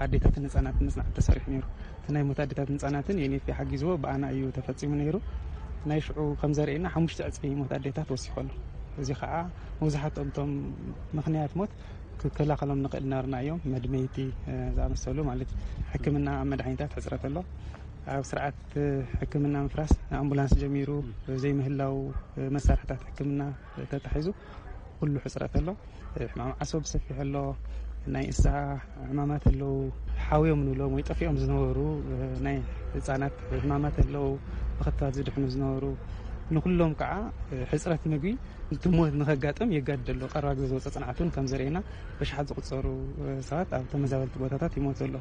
ኣዴታትን ህፃናትን መፅናዕቲ ተሰሪሑ ነይሩ። እቲ ናይ ሞት ኣዴታትን ህፃናትን ዩኤንኤፍፒ ሓጊዝዎ ብኣና እዩ ተፈፂሙ ነይሩ። ናይ ሽዑ ከም ዘርእየና ሓሙሽተ ዕፅፊ ሞት ኣዴታት ወሲኹ ኣሎ። እዚ ከዓ መብዛሕትኦም እቶም ምኽንያት ሞት ክከላኸሎም ንኽእል ነበርና እዮም። መድመይቲ ዝኣመሰሉ ማለት ሕክምና ኣብ መድሓኒታት ሕፅረት ኣሎ። ኣብ ስርዓት ሕክምና ምፍራስ ኣምቡላንስ ጀሚሩ ዘይምህላው መሳርሕታት ሕክምና ተታሒዙ ኩሉ ሕፅረት ኣሎ። ሕማም ዓሶ ብሰፊሕ ኣሎ። ናይ እንስሳ ሕማማት ኣለዉ። ሓውዮም ንብሎም ወይ ጠፊኦም ዝነበሩ ናይ ህፃናት ሕማማት ኣለዉ። ብክትባት ዝድሕኑ ዝነበሩ ንኩሎም ከዓ ሕፅረት ምግቢ እቲ ሞት ንኸጋጥም የጋድድ ኣሎ። ቀረባ ግዜ ዝወፀ ፅንዓት እውን ከም ዘርእየና በሽሓት ዝቁፀሩ ሰባት ኣብ ተመዛበልቲ ቦታታት ይሞቱ ኣሎ።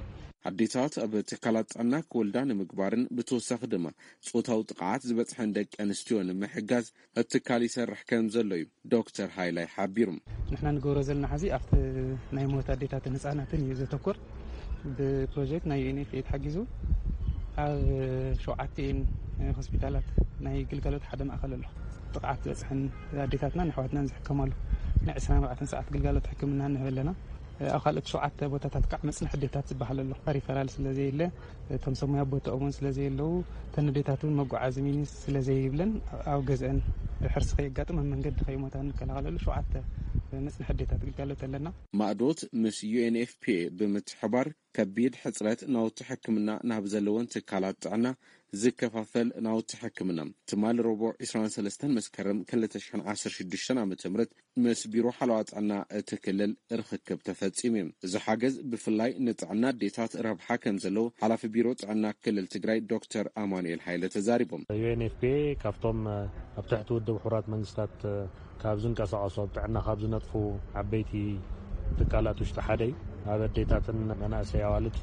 ኣዴታት ኣብ ትካላት ጥዕና ክወልዳ ንምግባርን ብተወሳኺ ድማ ጾታዊ ጥቕዓት ዝበፅሐን ደቂ ኣንስትዮ ንምሕጋዝ እቲ ትካል ይሰርሕ ከም ዘሎ እዩ ዶክተር ሃይላይ ሓቢሩ። ንሕና ንገብሮ ዘለና ሕዚ ኣብቲ ናይ ሞት ኣዴታትን ህፃናትን እዩ ዘተኮር። ብፕሮጀክት ናይ ዩኤንኤፍኤ ተሓጊዙ ኣብ ሸውዓተ ሆስፒታላት ናይ ግልጋሎት ሓደ ማእኸል ኣሎ። ጥቕዓት ዝበፅሐን ኣዴታትናን ኣሕዋትናን ዝሕከማሉ ናይ ዕስራን ኣርባዕተን ሰዓት ግልጋሎት ሕክምና ንህብ ኣለና። ኣብ ካልኦት ሸውዓተ ቦታታት ከዓ መፅንሒ ኣዴታት ዝበሃል ኣሎ። ሪፈራል ስለ ዘየለ፣ እቶም ሰብ ሞያ ቦታኦም እውን ስለ ዘየለዉ፣ እተን ኣዴታት እውን መጓዓዚ ሚኒስ ስለ ዘይብለን ኣብ ገዝአን ሕርሲ ከየጋጥም ኣብ መንገዲ ከይሞታ እንከላኸለሉ ሸውዓተ መፅንሒ ኣዴታት ግልጋሎት ኣለና። ማእዶት ምስ ዩኤንኤፍፒኤ ብምትሕባር ከቢድ ሕፅረት ናውቲ ሕክምና ናብ ዘለወን ትካላት ጥዕና ዝከፋፈል ናውቲ ሕክምና ትማሊ ረቡዕ ዕስራን ሰለስተን መስከረም ክልተ ሽሕን ዓሰርተ ሽዱሽተን ዓመተ ምህረት ምስ ቢሮ ሓለዋ ጥዕና እቲ ክልል ርኽክብ ተፈጺሙ እዩ። እዚ ሓገዝ ብፍላይ ንጥዕና ኣዴታት ረብሓ ከም ዘለዎ ሓላፊ ቢሮ ጥዕና ክልል ትግራይ ዶክተር ኣማኑኤል ሃይለ ተዛሪቦም። ዩኤንኤፍፒኤ ካብቶም ኣብ ትሕቲ ውድብ ሕቡራት መንግስታት ካብ ዝንቀሳቐሱ ኣብ ጥዕና ካብ ዝነጥፉ ዓበይቲ ትካላት ውሽጢ ሓደ እዩ። ኣብ ኣዴታትን መናእሰይ ኣዋልድ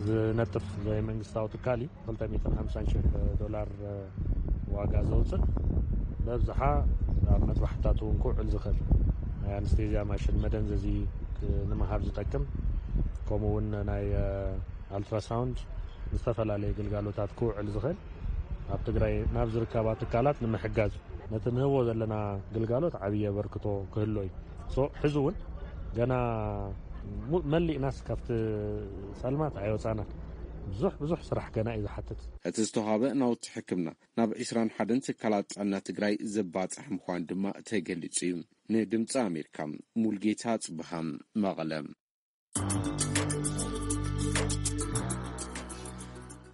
ዝነጥፍ ዘይመንግስታዊ ትካል እዩ። ክልተ ሚእትን ሓምሳን ሽሕ ዶላር ዋጋ ዘውፅእ፣ በብዝሓ ኣብ መጥባሕትታት እውን ክውዕል ዝኽእል ናይ ኣንስቴዝያ ማሽን መደንዘዚ ንምሃብ ዝጠቅም፣ ከምኡ እውን ናይ ኣልትራሳውንድ ንዝተፈላለየ ግልጋሎታት ክውዕል ዝኽእል ኣብ ትግራይ ናብ ዝርከባ ትካላት ንምሕጋዝ ነቲ ንህቦ ዘለና ግልጋሎት ዓብዪ ኣበርክቶ ክህሎ እዩ። ሶ ሕዚ እውን ገና መሊእናስ ካብቲ ጸልማት ኣይወጻናን። ብዙሕ ብዙሕ ስራሕ ገና እዩ ዝሓትት። እቲ ዝተዋህበ ናውቲ ሕክምና ናብ ዕስራን ሓደን ትካላት ጥዕና ትግራይ ዝባጻሕ ምዃን ድማ ተገሊጹ እዩ። ንድምፂ ኣሜሪካ ሙልጌታ ጽብሃ፣ መቐለ።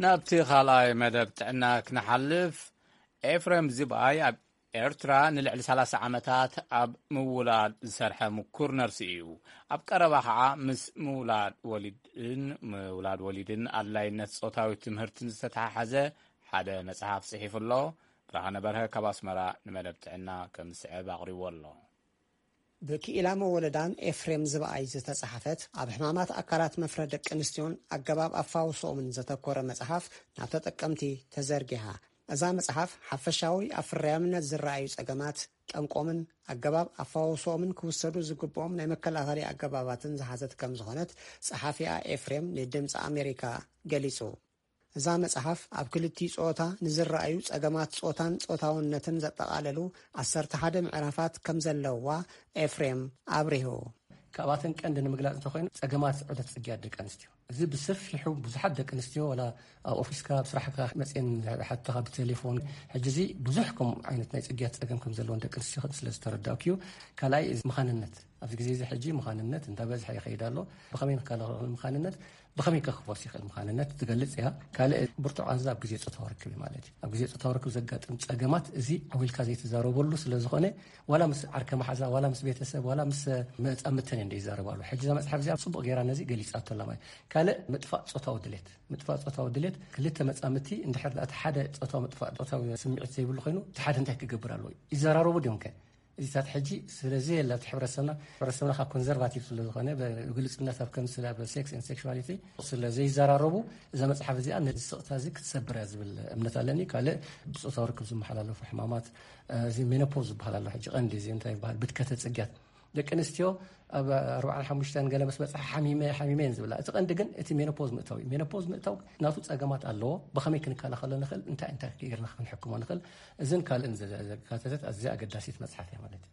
ናብቲ ካልኣይ መደብ ጥዕና ክንሓልፍ፣ ኤፍሬም ዝብኣይ ኣብ ኤርትራ ንልዕሊ ሰላሳ ዓመታት ኣብ ምውላድ ዝሰርሐ ምኩር ነርሲ እዩ። ኣብ ቀረባ ኸዓ ምስ ምውላድ ወሊድን ምውላድ ወሊድን ኣድላይነት ጾታዊ ትምህርትን ዝተተሓሓዘ ሓደ መጽሓፍ ጽሒፉ ኣሎ። ብርሃነ በርሀ ካብ ኣስመራ ንመደብ ጥዕና ከም ዝስዕብ ኣቕሪብዎ ኣሎ። ብክኢላ መወለዳን ኤፍሬም ዝብኣይ ዝተጻሕፈት ኣብ ሕማማት ኣካላት መፍረ ደቂ ኣንስትዮን ኣገባብ ኣፋውስኦምን ዘተኮረ መጽሓፍ ናብ ተጠቀምቲ ተዘርጊሓ። እዛ መጽሓፍ ሓፈሻዊ ኣብ ፍርያምነት ዝረኣዩ ጸገማት፣ ጠንቆምን ኣገባብ ኣፋውስኦምን ክውሰዱ ዝግብኦም ናይ መከላኸሊ ኣገባባትን ዝሓዘት ከም ዝኾነት ጸሓፊኣ ኤፍሬም ንድምጺ ኣሜሪካ ገሊጹ። እዛ መጽሓፍ ኣብ ክልቲኡ ጾታ ንዝረኣዩ ጸገማት ጾታን ጾታውነትን ዘጠቓለሉ ዓሰርተ ሓደ ምዕራፋት ከም ዘለውዋ ኤፍሬም ኣብሪሁ። ካብኣተን ቀንዲ ንምግላጽ እንተኾይኑ፣ ጸገማት ዑደት ጽግያት ደቂ ኣንስትዮ። እዚ ብሰፊሑ ብዙሓት ደቂ ኣንስትዮ፣ ዋላ ኣብ ኦፊስካ፣ ኣብ ስራሕካ መጽኤን ሓተኻ ብቴሌፎን። ሕጂ እዚ ብዙሕ ከምኡ ዓይነት ናይ ጽግያት ጸገም ከም ዘለዎን ደቂ ኣንስትዮ ስለ ዝተረዳእኩ እዩ። ካልኣይ፣ እዚ ምዃንነት፣ ኣብዚ ግዜ እዚ ሕጂ ምዃንነት እንዳበዝሐ ይኸይድ ኣሎ። ብኸመይ ንከላኸሎ ምዃንነት፣ ብኸመይ ከክቦስ ይኽእል ምዃንነት ትገልጽ እያ። ካልእ ብርቱዕ ቃንዛ ኣብ ግዜ ጾታዊ ርክብ እዩ ማለት እዩ። ኣብ ግዜ ጾታዊ ርክብ ዘጋጥም ጸገማት፣ እዚ ዓው ኢልካ ዘይትዛረበሉ ስለ ዝኾነ፣ ዋላ ምስ ዓርከ መሓዛ፣ ዋላ ምስ ቤተሰብ፣ ዋላ ምስ መጻምድተን እየን ዘይዛረባሉ። ሕጂ እዛ መጽሓፍ እዚኣ ጽቡቕ ገይራ ነዚ ገሊጻቶ ኣላ ማለት እዩ። ካልእ ምጥፋእ ጾታዊ ድሌት። ምጥፋእ ጾታዊ ድሌት፣ ክልተ መጻምድቲ እንድሕር እቲ ሓደ ጾታዊ ምጥፋእ ጾታዊ ስምዒት ዘይብሉ ኮይኑ፣ እቲ ሓደ እንታይ ክገብር ኣለዎ? ይዘራረቡ ድዮም ከ? እዚታት ሕጂ ስለዚ የለ ኣብቲ ሕብረተሰብና፣ ሕብረተሰብና ካብ ኮንዘርቫቲቭ ስለ ዝኾነ፣ ብግልጽነት ኣብ ከም ስለ ኣብ ሴክስ ኤንድ ሴክሹዋሊቲ ስለ ዘይዘራረቡ፣ እዛ መጽሓፍ እዚኣ ነዚ ስቕታ እዚ ክትሰብር እያ ዝብል እምነት ኣለኒ። ካልእ ብጾታዊ ርክብ ዝመሓላለፉ ሕማማት፣ እዚ ሜኖፖዝ ዝበሃል ኣሎ። ሕጂ ቀንዲ እዚ እንታይ ይበሃል? ብድከተ ጽግያት። ደቂ ኣንስትዮ ኣብ ኣርባዓን ሓሙሽተን ገለ ምስ በጽሓ ሓሚመ፣ ሓሚመ እየን ዝብላ። እቲ ቀንዲ ግን እቲ ሜኖፖዝ ምእታው እዩ። ሜኖፖዝ ምእታው ናቱ ጸገማት ኣለዎ። ብኸመይ ክንከላኸሎ ንኽእል? እንታይ፣ እንታይ ጌርና ክንሕክሞ ንኽእል? እዝን ካልእን ዘ-፣ ዘካተተት ኣዝያ ኣገዳሲት መጽሓፍ እያ ማለት እዩ።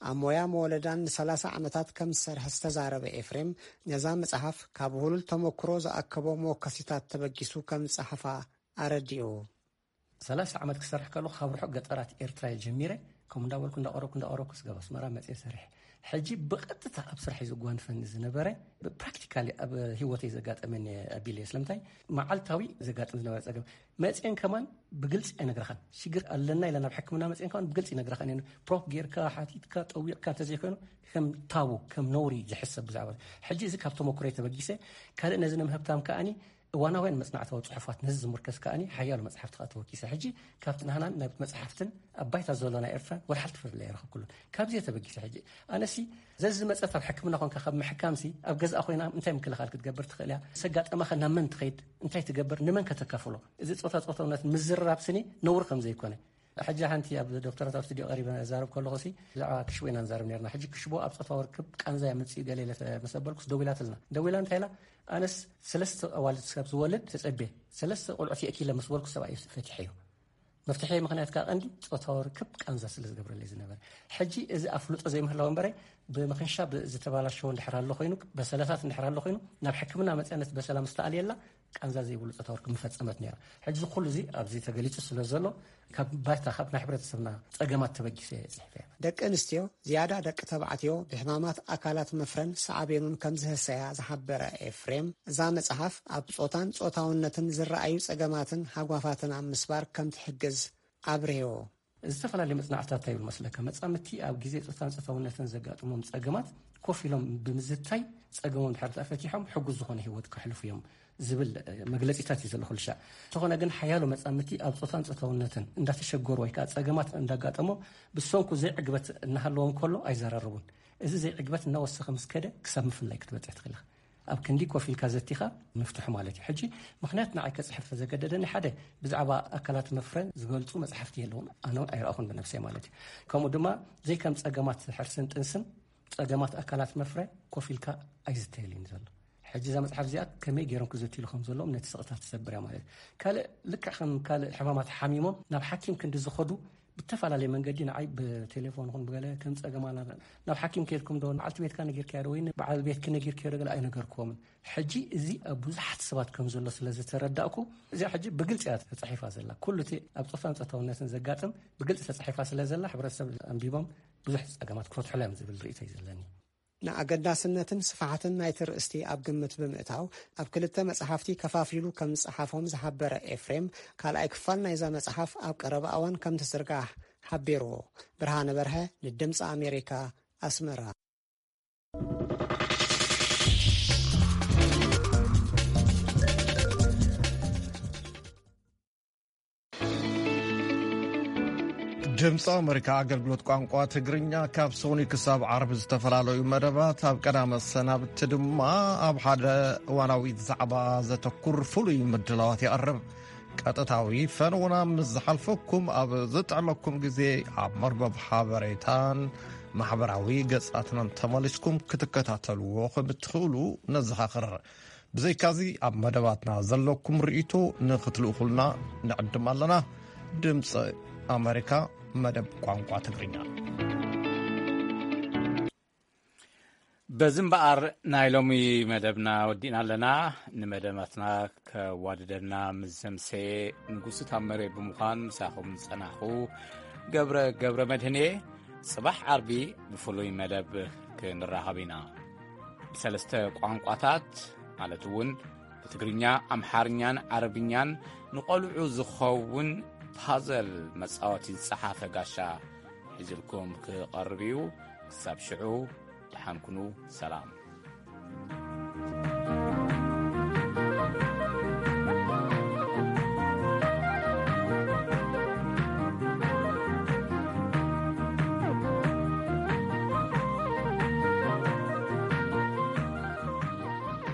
ኣብ ሞያ መወለዳን ንሰላሳ ዓመታት ከም ዝሰርሐ ዝተዛረበ ኤፍሬም፣ ነዛ መጽሓፍ ካብ ውህሉል ተመክሮ ዝኣከቦ መወከሲታት ተበጊሱ ከም ዝጸሓፋ ኣረዲኡ። ሰላሳ ዓመት ክሰርሕ ከለኹ፣ ካብ ርሑቕ ገጠራት ኤርትራ እየ ጀሚረ። ከምኡ እንዳበልኩ፣ እንዳቐረብኩ፣ እንዳቐረብኩ፣ ስጋብ ኣስመራ መጽየ ሰሪሐ። ሕጂ ብቐጥታ ኣብ ስራሕ እዩ ዘጓንፈኒ ዝነበረ። ብፕራክቲካሊ ኣብ ህይወተይ ዘጋጠመኒ ኣቢለ እየ። ስለምንታይ? መዓልታዊ ዘጋጥም ዝነበረ ጸገም። መጽየን ከማን ብግልጺ ኣይነግረኻን። ሽግር ኣለና ኢለ ናብ ሕክምና መጽየን ከማን ብግልጺ ይነግረኻን እየን። ፕሮፕ ጌርካ፣ ሓቲትካ፣ ጠዊቕካ እንተዘይኮይኑ፣ ከም ታቡ፣ ከም ነውሪ ዝሕሰብ ብዛዕባ። ሕጂ እዚ ካብ ተመክሮይ ተበጊሰ፣ ካልእ ነዚ ንምህብታም ከኣኒ፣ እዋናውያን መጽናዕታዊ ጽሑፋት ነዚ ዝምርኮስ ከኣኒ ሓያሎ መጽሓፍቲ ከኣ ተወኪሰ። ሕጂ ካብቲ ናህናን ናብቲ መጽሓፍትን ኣብ ባይታ ዘሎ ናይ ኤርትራ ወላ ሓንቲ ፍልልይ ኣይረኸብኩሉን። ካብዚ እየ ተበጊሰ። ሕጂ ኣነሲ ዘዝመጸት ኣብ ሕክምና ኮንካ ካብ ምሕካምሲ ኣብ ገዛኣ ኮይና እንታይ ምክልኻል ክትገብር ትኽእል እያ? ምስ ኣጋጠማኸ ናብ መን ትኸይድ? እንታይ ትገብር? ንመን ከተካፍሎ? እዚ ጾታ ጾታውነት ምዝርራብ ስኒ ነውሪ ከም ዘይኮነ። ሕጂ ሓንቲ ኣብ ዶክተራት ኣብ ስቱዲዮ ቀሪበ እዛረብ ከለኹ ሲ ብዛዕባ ክሽቦ ኢና ንዛረብ ነርና። ሕጂ ክሽቦ ኣብ ጾታዊ ርክብ ቃንዛ የምጽእ ገለ ኢለ ምስ ኣበልኩስ ደዊላትልና። ደዊላ እንታይ ኢላ? ኣነስ ሰለስተ ኣዋልድ ስጋብ ዝወልድ ተጸቤ፣ ሰለስተ ቆልዑት የእኪለ ምስ በልኩ ሰብኣይ ፈቲሐዮ። መፍትሐ ምኽንያት ከኣ ቀንዲ ጾታዊ ርክብ ቃንዛ ስለ ዝገብረለይ ዝነበረ። ሕጂ እዚ ኣፍልጦ ዘይምህላው እምበረ፣ ብምኽንሻ ብ-፣ ዝተበላሸወ እንድሕር ኣሎ ኮይኑ፣ በሰላታት እንድሕር ኣሎ ኮይኑ፣ ናብ ሕክምና መጽያ ነቲ በሰላ ምስ ተኣልየላ፣ ቃንዛ ዘይብሉ ጾታዊ ርክብ ምፈጸመት ነይራ። ሕጂ እዚ ኩሉ እዚ ኣብዚ ተገሊጹ ስለ ዘሎ፣ ካብ ባይታ፣ ካብ ናይ ሕብረተሰብና ጸገማት ተበጊሰ እየ ጽሒፈያ። ደቂ ኣንስትዮ ዝያዳ ደቂ ተባዕትዮ ብሕማማት ኣካላት መፍረን ሳዕቤኑን ከም ዝህሰያ ዝሓበረ ኤፍሬም፣ እዛ መጽሓፍ ኣብ ጾታን ጾታውነትን ዝረኣዩ ጸገማትን ሃጓፋትን ኣብ ምስባር ከም ትሕግዝ ኣብርህዎ። ዝተፈላለዩ መጽናዕትታት እንታይ ይብል መስለካ? መጻምድቲ ኣብ ግዜ ጾታን ጾታውነትን ዘጋጥሞም ጸገማት ኮፍ ኢሎም ብምዝታይ፣ ጸገሞም ድሕር ተፈቲሖም ሕጉስ ዝኾነ ህይወት ከሕልፉ እዮም ዝብል፣ እ፣ መግለጺታት እዩ ዘሎ ኩሉ ሻዕ። እንተኾነ ግን ሓያሎ መጻምድቲ ኣብ ጾታን ጾታውነትን እንዳተሸገሩ ወይ ከኣ ጸገማት እንዳጋጠሞም ብሰንኩ ዘይዕግበት እናሃለዎም ከሎ ኣይዘራረቡን። እዚ ዘይዕግበት እናወሰኸ ምስ ከደ ክሳብ ምፍላይ ክትበጽሕ ትኽእል ኢኻ። ኣብ ክንዲ ኮፍ ኢልካ ዘቲኻ ምፍትሑ ማለት እዩ። ሕጂ ምኽንያት ንዓይ ከጽሕፍ ዘገደደኒ ሓደ ብዛዕባ ኣካላት መፍረ ዝገልጹ መጽሓፍቲ የለውን፣ ኣነ እውን ኣይረኣኹን ብነብሰይ ማለት እዩ። ከምኡ ድማ ዘይከም ጸገማት ሕርስን ጥንስን ጸገማት ኣካላት መፍረ ኮፍ ኢልካ ኣይዝተየልን እዩ ዘሎ። ሕጂ እዛ መጽሓፍ እዚኣ ከመይ ገይሮም ክዘትይሉ ከም ዘለዎም ነቲ ስቕታ ትሰብር እያ ማለት እዩ። ካልእ ልክዕ ከም ካልእ ሕማማት ሓሚሞም ናብ ሓኪም ክንዲ ዝኸዱ ብተፈላለየ መንገዲ ንዓይ ብቴሌፎን ይኹን ብገለ ከም ጸገም ኣላ ናብ ሓኪም ከይድኩም ዶ፣ ንበዓልቲ ቤትካ ነጊርካዮ ዶ ወይ ንበዓል ቤትኪ ነጊርካዮ ዶ ገለ ኣይነገርክዎምን። ሕጂ እዚ ኣብ ብዙሓት ሰባት ከም ዘሎ ስለ ዝተረዳእኩ፣ እዚኣ ሕጂ ብግልጺ እያ ተጻሒፋ ዘላ። ኩሉ እቲ ኣብ ጾታን ጾታውነትን ዘጋጥም ብግልጺ ተጻሒፋ ስለ ዘላ፣ ሕብረተሰብ ኣንቢቦም ብዙሕ ጸገማት ክፈትሑላ እዮም ዝብል ርእይቶ እዩ ዘለኒ። ንኣገዳስነትን ስፍሓትን ናይቲ ርእስቲ ኣብ ግምት ብምእታው፣ ኣብ ክልተ መጽሓፍቲ ከፋፊሉ ከም ዝጸሓፎም ዝሓበረ ኤፍሬም፣ ካልኣይ ክፋል ናይዛ መጽሓፍ ኣብ ቀረባ እዋን ከም ትዝርጋሕ ሓቢርዎ። ብርሃነ በርሀ ንድምጺ ኣሜሪካ፣ ኣስመራ። ድምፂ ኣሜሪካ ኣገልግሎት ቋንቋ ትግርኛ ካብ ሶኒ ክሳብ ዓርቢ ዝተፈላለዩ መደባት፣ ኣብ ቀዳመ ሰናብቲ ድማ ኣብ ሓደ እዋናዊ ዛዕባ ዘተኩር ፍሉይ ምድላዋት የቕርብ። ቀጥታዊ ፈነውና ምስ ዝሓልፈኩም፣ ኣብ ዝጥዕመኩም ግዜ ኣብ መርበብ ሓበሬታን ማሕበራዊ ገጻትናን ተመሊስኩም ክትከታተልዎ ከም እትኽእሉ ነዘኻኽር። ብዘይካዚ፣ ኣብ መደባትና ዘለኩም ርእይቶ ንኽትልእኹልና ንዕድም ኣለና። ድምፂ ኣሜሪካ፣ መደብ ቋንቋ ትግርኛ። በዚ እምበኣር ናይ ሎሚ መደብና ወዲእና ኣለና። ንመደባትና ከዋድደና ምስ ዘምሰየ ንጉሱ ታመረ ብምዃን ምሳኹም ዝጸናሕኹ ገብረ፣ ገብረ መድህን እየ። ጽባሕ ዓርቢ ብፍሉይ መደብ ክንራኸብ ኢና። ብሰለስተ ቋንቋታት ማለት እውን ብትግርኛ፣ ኣምሓርኛን ዓረብኛን ንቖልዑ ዝኸውን ፓዘል መጻወቲ ዝጸሓፈ ጋሻ ሒዝልኩም ክቐርብ እዩ። ክሳብ ሽዑ ደሓን ኩኑ። ሰላም።